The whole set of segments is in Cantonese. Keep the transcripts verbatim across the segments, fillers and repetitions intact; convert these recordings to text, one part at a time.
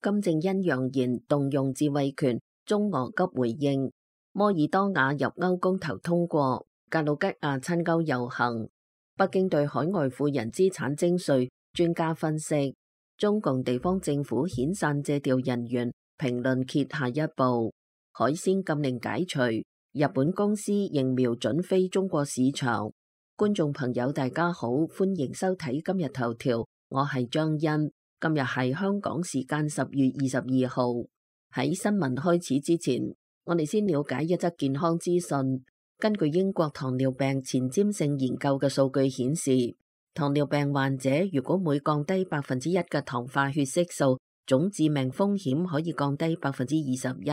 金正恩揚言動用自衛權，中俄急回應。摩爾多瓦入歐公投通過，格魯吉亞親歐遊行。北京對海外富人資產徵稅，專家分析，中共地方政府遣散借調人員，評論揭下一步。海鮮禁令解除，日本公司仍瞄準非中國市場。觀眾朋友大家好，歡迎收睇今日頭條，我係張欣。今日係香港時間十月二十二號。喺新聞開始之前，我哋先了解一則健康資訊。根據英國糖尿病前瞻性研究嘅數據顯示，糖尿病患者如果每降低百分之一嘅糖化血色素，總致命風險可以降低百分之二十一。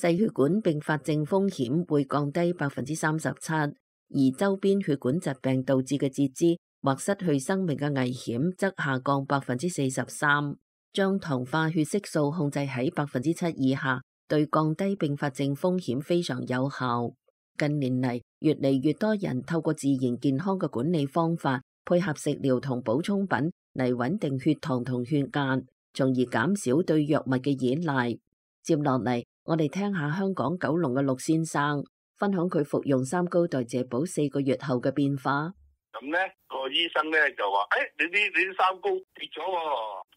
細血管併發症風險會降低百分之三十七，而周邊血管疾病導致嘅截肢或失去生命嘅危險則下降百分之四十三。將糖化血色素控制喺百分之七以下，對降低併發症風險非常有效。近年嚟，越嚟越多人透過自然健康嘅管理方法，配合食療同補充品嚟穩定血糖同血壓，從而減少對藥物嘅依賴。接落嚟，我哋聽下香港九龍嘅陸先生分享佢服用三高代謝寶四個月後嘅變化。咁咧個醫生咧就話：，誒、哎，你啲你啲三高跌咗，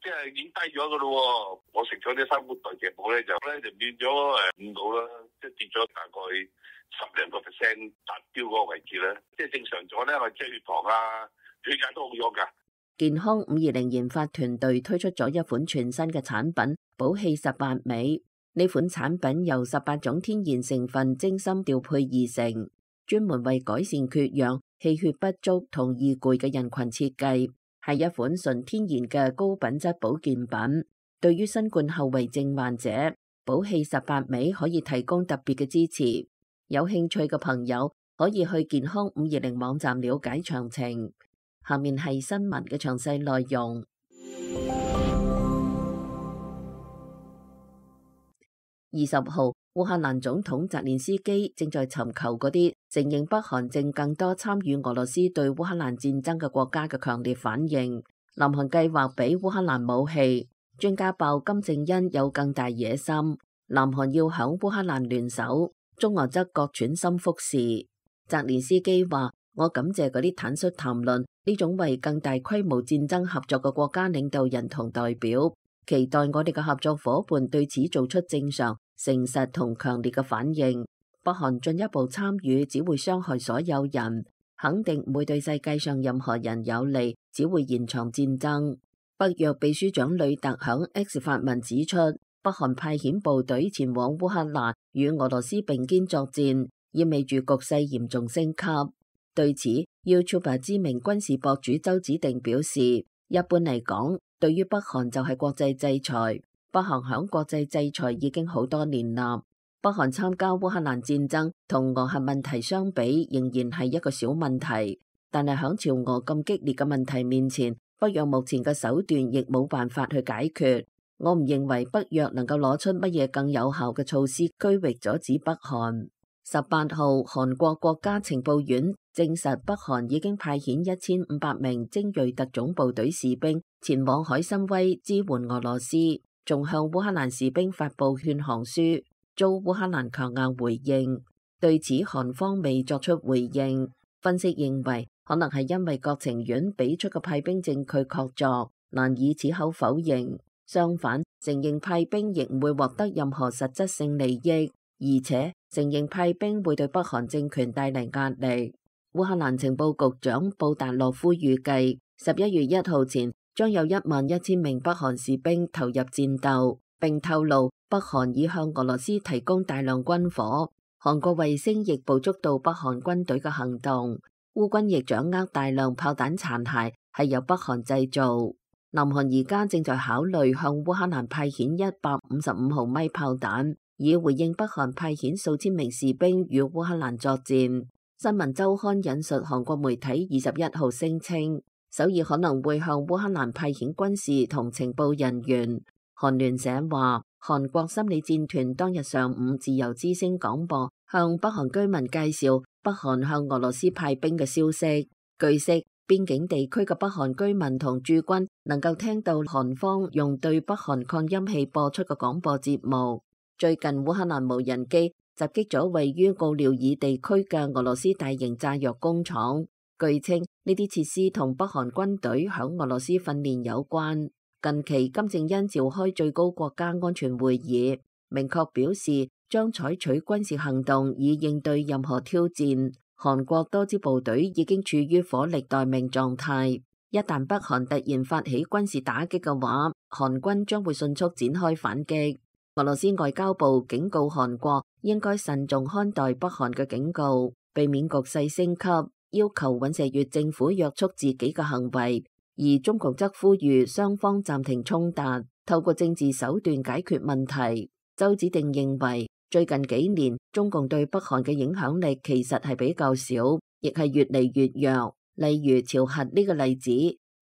即係已經低咗噶咯。我食咗啲三高代謝寶咧，就咧就變咗誒五度啦，即係跌咗大概十零個 percent 達標嗰個位置咧，即係正常咗咧，我即係血糖啊、血壓都好咗噶。健康五二零研發團隊推出咗一款全新嘅產品寶氣十八味。呢款產品由十八種天然成分精心調配而成，專門為改善缺氧、氣血不足同易攰嘅人群設計，係一款純天然嘅高品質保健品。對於新冠後遺症患者，寶氣十八味可以提供特別嘅支持。有興趣嘅朋友可以去健康五二零網站了解詳情。下面係新聞嘅詳細內容。二十號，烏克蘭總統澤連斯基正在尋求嗰啲承認北韓正更多參與俄羅斯對烏克蘭戰爭嘅國家嘅強烈反應。南韓計劃俾烏克蘭武器，專家爆金正恩有更大野心，南韓要響烏克蘭聯手，中俄則各轉心腹事。澤連斯基話：我感謝嗰啲坦率談論呢種為更大規模戰爭合作嘅國家領導人同代表。期待我哋嘅合作夥伴對此做出正常、誠實同強烈嘅反應。北韓進一步參與只會傷害所有人，肯定唔會對世界上任何人有利，只會延長戰爭。北約秘書長呂特響 X 發文指出，北韓派遣部隊前往烏克蘭與俄羅斯並肩作戰，意味住局勢嚴重升級。對此 ，YouTuber 知名軍事博主周子定表示，一般嚟講，對於北韓就係國際制裁，北韓響國際制裁已經好多年啦。北韓參加烏克蘭戰爭同俄核問題相比，仍然係一個小問題。但係響朝俄咁激烈嘅問題面前，北約目前嘅手段亦冇辦法去解決。我唔認為北約能夠攞出乜嘢更有效嘅措施區域阻止北韓。十八號，韓國國家情報院證實北韓已經派遣一千五百名精銳特種部隊士兵前往海參崴支援俄羅斯，仲向烏克蘭士兵發布勸降書，遭烏克蘭強硬回應。對此，韓方未作出回應。分析認為，可能係因為國情院俾出嘅派兵證據確鑿，難以此口否認。相反，承認派兵亦唔會獲得任何實質性利益，而且承認派兵會對北韓政權帶嚟壓力。烏克蘭情報局長布達洛夫預計，十一月一號前將有一萬一千名北韓士兵投入戰鬥，並透露北韓已向俄羅斯提供大量軍火。韓國衛星亦捕捉到北韓軍隊嘅行動，烏軍亦掌握大量炮彈殘骸，係由北韓製造。南韓而家正在考慮向烏克蘭派遣一百五十五毫米炮彈，以回應北韓派遣數千名士兵與烏克蘭作戰。新聞週刊引述韓國媒體二十一號聲稱，首爾可能會向烏克蘭派遣軍事同情報人員。韓聯社話，韓國心理戰團當日上午自由之聲廣播，向北韓居民介紹北韓向俄羅斯派兵嘅消息。據悉，邊境地區嘅北韓居民同駐軍能夠聽到韓方用對北韓擴音器播出嘅廣播節目。最近烏克蘭無人機襲擊咗位於奧廖爾地區嘅俄羅斯大型炸藥工廠，據稱呢啲設施同北韓軍隊響俄羅斯訓練有關。近期金正恩召開最高國家安全會議，明確表示將採取軍事行動以應對任何挑戰。韓國多支部隊已經處於火力待命狀態，一旦北韓突然發起軍事打擊嘅話，韓軍將會迅速展開反擊。俄羅斯外交部警告韓國應該慎重看待北韓嘅警告，避免局勢升級，要求尹錫悅政府約束自己嘅行為。而中共則呼籲雙方暫停衝突，透過政治手段解決問題。周子定認為，最近幾年中共對北韓嘅影響力其實係比較少，亦係越嚟越弱。例如朝核呢個例子，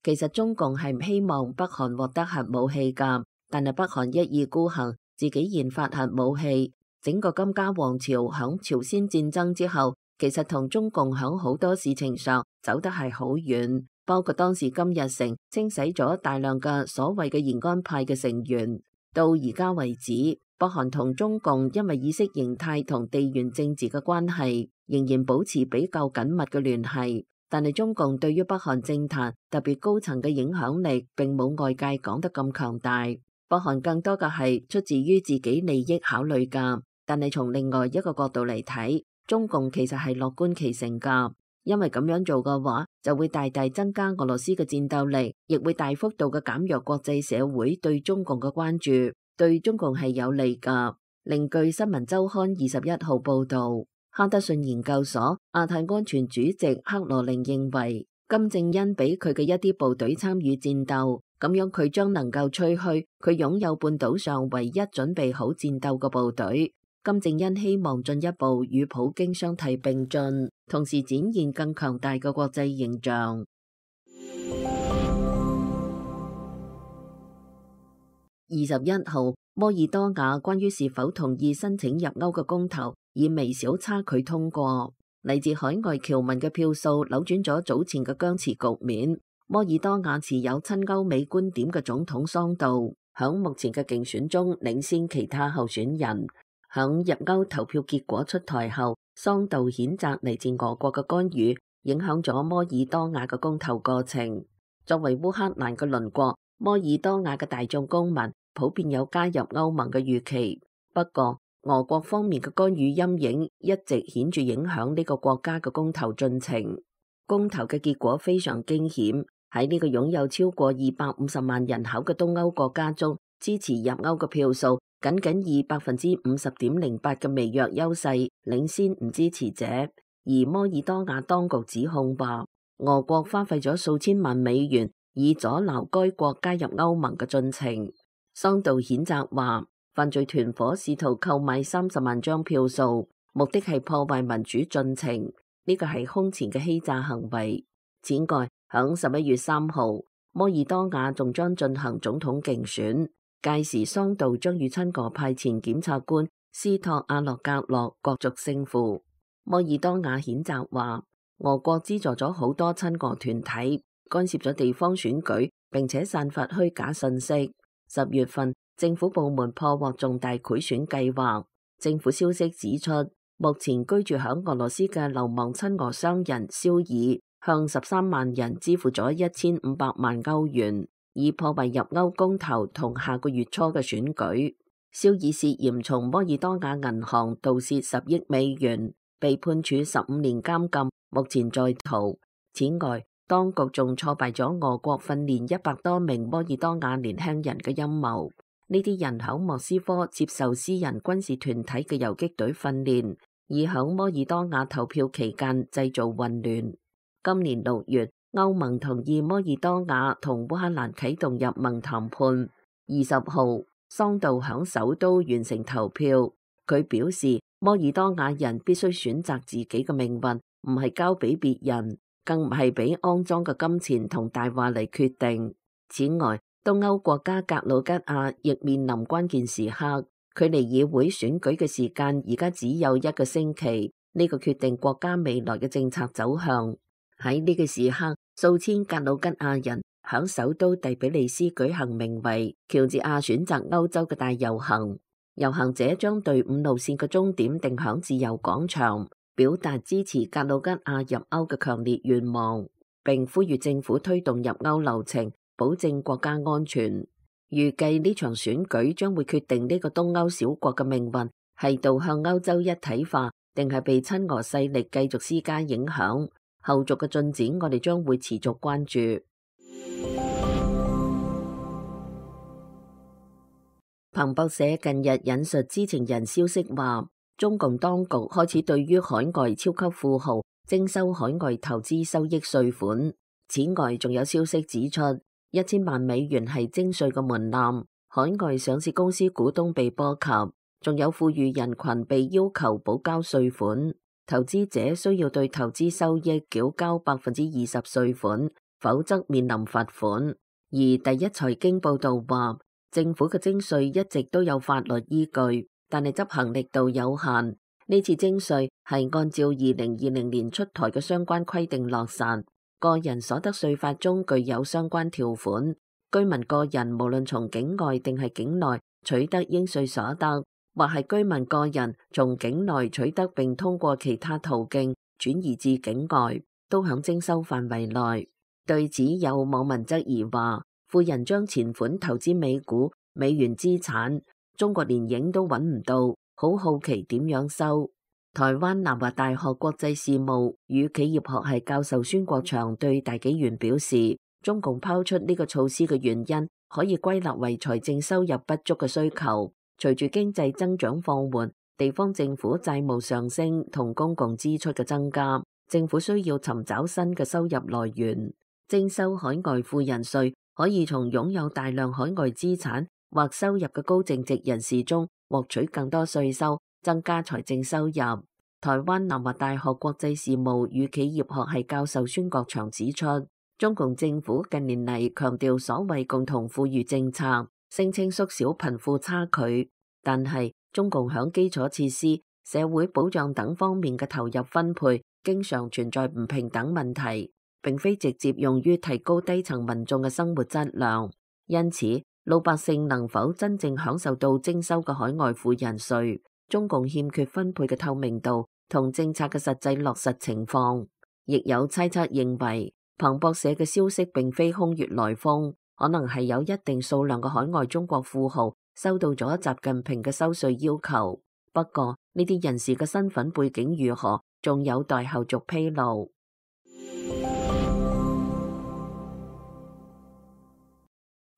其實中共係唔希望北韓獲得核武器㗎，但係北韓一意孤行，自己研發核武器。整個金家王朝響朝鮮戰爭之後，其實同中共響好多事情上走得係好遠，包括當時金日成清洗咗大量嘅所謂嘅延安派嘅成員。到而家為止，北韓同中共因為意識形態同地緣政治嘅關係，仍然保持比較緊密嘅聯繫。但係中共對於北韓政壇特別高層嘅影響力，並冇外界講得咁強大。北韓更多嘅係出自於自己利益考慮㗎。但係從另外一個角度嚟睇，中共其實係樂觀其成㗎。因為咁樣做嘅話，就會大大增加俄羅斯嘅戰鬥力，亦會大幅度嘅減弱國際社會對中共嘅關注，對中共係有利㗎。另據新聞週刊二十一號報導，哈德遜研究所亞太安全主席克羅寧認為，金正恩俾佢嘅一啲部隊參與戰鬥，咁樣佢將能夠吹噓佢擁有半島上唯一準備好戰鬥嘅部隊。金正恩希望進一步與普京相提並進，同時展現更強大嘅國際形象。二十一號，摩爾多瓦關於是否同意申請入歐嘅公投以微小差距通過，嚟自海外僑民嘅票數扭轉咗早前嘅僵持局面。摩爾多瓦持有親歐美觀點嘅總統桑杜響目前嘅競選中領先其他候選人。響入歐投票結果出台後，桑杜譴責嚟自俄國嘅干預，影響咗摩爾多瓦嘅公投過程。作為烏克蘭嘅鄰國，摩爾多瓦嘅大眾公民普遍有加入歐盟嘅預期。不過，俄國方面嘅干預陰影一直顯著影響呢個國家嘅公投進程。公投嘅結果非常驚險，喺呢個擁有超過二百五十萬人口嘅東歐國家中，支持入歐嘅票數僅僅以百分之五十點零八嘅微弱優勢領先唔支持者，而摩爾多瓦當局指控話，俄國花費咗數千萬美元以阻撓該國加入歐盟嘅進程。桑杜譴責話，犯罪團伙試圖購買三十萬張票數，目的係破壞民主進程，呢個係空前嘅欺詐行為。此外，響十一月三號，摩爾多瓦仲將進行總統競選。屆時桑杜將與親俄派前檢察官斯托阿洛格洛角逐勝負。摩爾多瓦譴責話，俄國資助咗好多親俄團體，干涉咗地方選舉，並且散發虛假信息。十月份，政府部門破獲重大賄選計劃。政府消息指出，目前居住響俄羅斯嘅流亡親俄商人肖爾向十三萬人支付咗一千五百萬歐元，以破壞入歐公投同下個月初嘅選舉。肖爾涉嫌從摩爾多瓦銀行盜竊十億美元，被判處十五年監禁，目前在逃。此外，當局仲挫敗咗俄國訓練一百多名摩爾多瓦年輕人嘅陰謀。呢啲人響莫斯科接受私人軍事團體嘅游擊隊訓練，以響摩爾多瓦投票期間製造混亂。今年六月，歐盟同意摩爾多瓦同烏克蘭啟動入盟談判。二十號，桑杜響首都完成投票。佢表示，摩爾多瓦人必須選擇自己嘅命運，唔係交俾別人，更唔係俾骯髒嘅金錢同大話嚟決定。此外，東歐國家格魯吉亞亦面臨關鍵時刻，距離議會選舉嘅時間而家只有一個星期，呢個決定國家未來嘅政策走向。喺呢個時刻，數千格魯吉亞人響首都第比利斯舉行名為喬治亞選擇歐洲嘅大遊行，遊行者將隊伍路線嘅終點定響自由廣場，表達支持格魯吉亞入歐嘅強烈願望，並呼籲政府推動入歐流程，保證國家安全。預計呢場選舉將會決定呢個東歐小國嘅命運，係導向歐洲一體化，定係被親俄勢力繼續施加影響。後續嘅進展，我哋將會持續關注。彭博社近日引述知情人消息話，中共當局開始對於海外超級富豪徵收海外投資收益稅款。此外，仲有消息指出，一千萬美元係徵稅嘅門檻，海外上市公司股東被波及，仲有富裕人群被要求補交稅款。投資者需要對投資收益繳交百分之二十稅款，否則面臨罰款。而第一財經報道話，政府嘅徵稅一直都有法律依據，但係執行力度有限。呢次徵稅係按照二零二零年出台嘅相關規定落實。個人所得稅法中具有相關條款，居民個人無論從境外定係境內取得應稅所得，或係居民個人從境內取得並通過其他途徑轉移至境外，都響徵收範圍內。對此有網民質疑話，富人將錢款投資美股、美元資產，中國連影都揾唔到，好好奇點樣收。台灣南華大學國際事務與企業學系教授孫國祥對大紀元表示，中共拋出呢個措施嘅原因可以歸納為財政收入不足嘅需求。隨住經濟增長放緩，地方政府債務上升同公共支出嘅增加，政府需要尋找新嘅收入來源。徵收海外富人稅可以從擁有大量海外資產或收入嘅高淨值人士中獲取更多稅收，增加財政收入。台灣南華大學國際事務與企業學系教授孫國祥指出，中共政府近年嚟強調所謂共同富裕政策，聲稱縮小貧富差距，但係中共響基礎設施、社會保障等方面嘅投入分配，經常存在唔平等問題，並非直接用於提高低層民眾嘅生活質量。因此，老百姓能否真正享受到徵收嘅海外富人稅，中共欠缺分配嘅透明度同政策嘅實際落實情況。亦有猜測認為，彭博社嘅消息並非空穴來風，可能係有一定數量嘅海外中國富豪收到咗習近平嘅收稅要求。不過呢啲人士嘅身份背景如何，仲有待後續披露。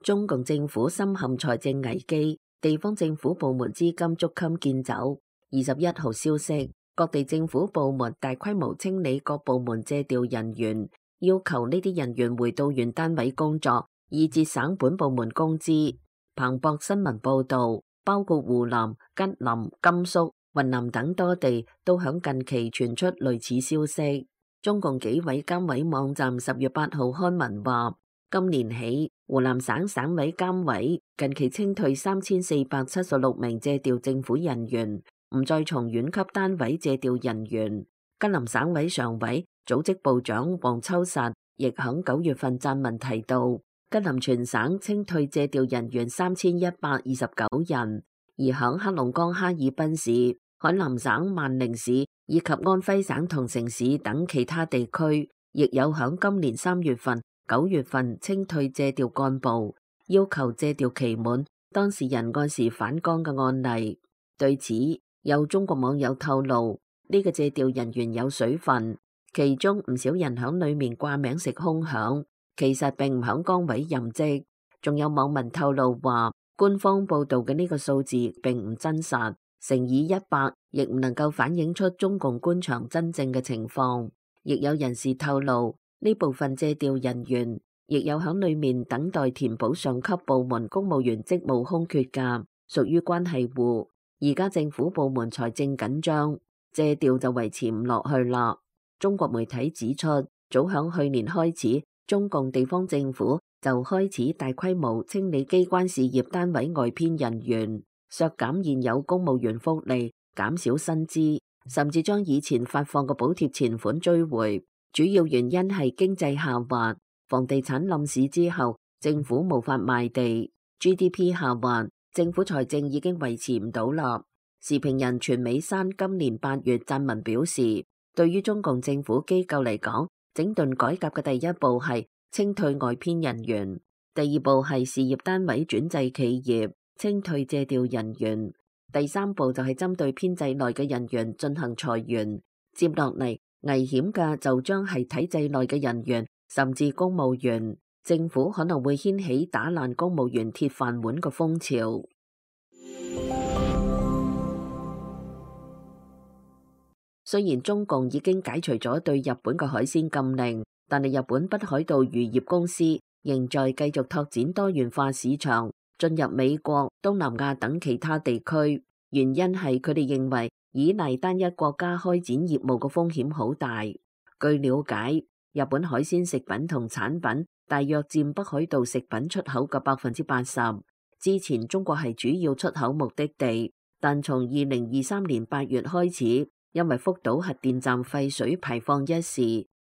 中共政府深陷財政危機，地方政府部門資金捉襟見肘。二十一號消息，各地政府部門大規模清理各部門借調人員，要求呢啲人員回到原單位工作，以節省本部門工資。彭博新聞報道，包括湖南、吉林、甘肅、雲南等多地都響近期傳出類似消息。中共紀委監委網站十月八號刊文話，今年起，湖南省省委監委近期清退三千四百七十六名借調政府人員，唔再從縣級單位借調人員。吉林省委常委、組織部長王秋實亦響九月份撰文提到，吉林全省清退借調人員三千一百二十九人，而響黑龍江哈爾濱市、海南省萬寧市以及安徽省桐城市等其他地區，亦有響今年三月份、九月份清退借調幹部，要求借調期滿，當事人按時返崗嘅案例。對此，有中國網友透露，呢個借調人員有水分，其中唔少人響裏面掛名食空饗，其實並唔響崗位任職。仲有網民透露話，官方報道嘅呢個數字並唔真實，乘以一百亦唔能夠反映出中共官場真正嘅情況。亦有人士透露，呢部分借調人員亦有響裏面等待填補上級部門公務員職務空缺㗎，屬於關係戶。而家政府部門財政緊張，借調就維持唔落去啦。中國媒體指出，早響去年開始，中共地方政府就開始大規模清理機關事業單位外編人員，削減現有公務員福利，減少薪資，甚至將以前發放嘅補貼錢款追回。主要原因係經濟下滑，房地產冧市之後，政府無法賣地 ，G D P 下滑，政府財政已經維持唔到啦。時評人全美山今年八月撰文表示，對於中共政府機構嚟講，整頓改革嘅第一步係清退外編人員，第二步係事業單位轉制企業，清退借調人員，第三步就係針對編制內嘅人員進行裁員。接落嚟危險嘅就將係體制內嘅人員，甚至公務員，政府可能會掀起打爛公務員鐵飯碗嘅風潮。雖然中共已經解除咗對日本嘅海鮮禁令，但係日本北海道漁業公司仍在繼續拓展多元化市場，進入美國、東南亞等其他地區。原因係佢哋認為依賴單一國家開展業務嘅風險好大。據了解，日本海鮮食品同產品大約佔北海道食品出口嘅百分之八十。之前中國係主要出口目的地，但從二零二三年八月開始，因為福島核電站廢水排放一事，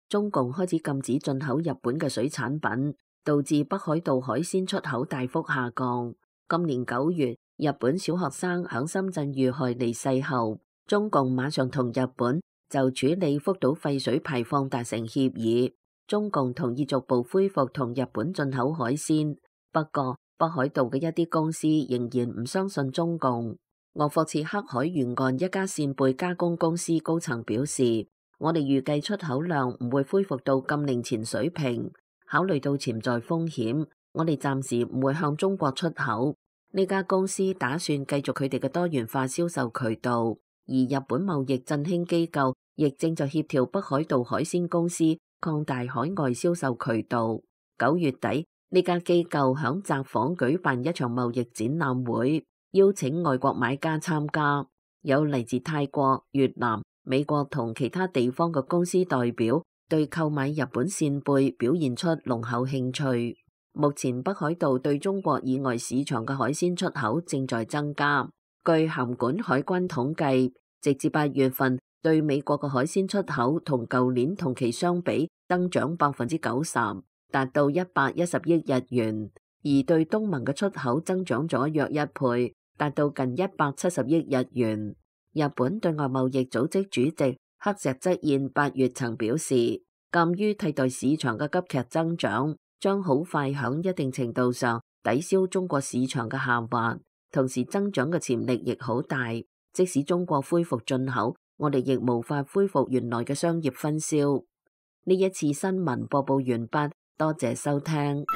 中共開始禁止進口日本嘅水產品，導致北海道海鮮出口大幅下降。今年九月，日本小學生響深圳遇害離世後，中共馬上同日本就處理福島廢水排放達成協議，中共同意逐步恢復同日本進口海鮮。不過，北海道嘅一啲公司仍然唔相信中共。鄂霍次克海沿岸一家扇貝加工公司高層表示，我哋預計出口量唔會恢復到禁令前水平，考慮到潛在風險，我哋暫時唔會向中國出口。呢家公司打算繼續佢哋嘅多元化銷售渠道，而日本貿易振興機構亦正在協調北海道海鮮公司擴大海外銷售渠道。九月底，呢家機構響札幌舉辦一場貿易展覽會，邀請外國買家參加，有嚟自泰國、越南、美國同其他地方嘅公司代表，對購買日本扇貝表現出濃厚興趣。目前北海道對中國以外市場嘅海鮮出口正在增加。據函館海關統計，直至八月份，對美國嘅海鮮出口同舊年同期相比增長百分之九十，達到一百一十億日元；而對東盟嘅出口增長咗約一倍，達到近一百七十億日元。日本對外貿易組織主席黑石則彥八月曾表示，鑑於替代市場嘅急劇增長，將好快響一定程度上抵消中國市場嘅下滑，同時增長嘅潛力亦好大。即使中國恢復進口，我哋亦無法恢復原來嘅商業分銷。呢一次新聞播報完畢，多謝收聽。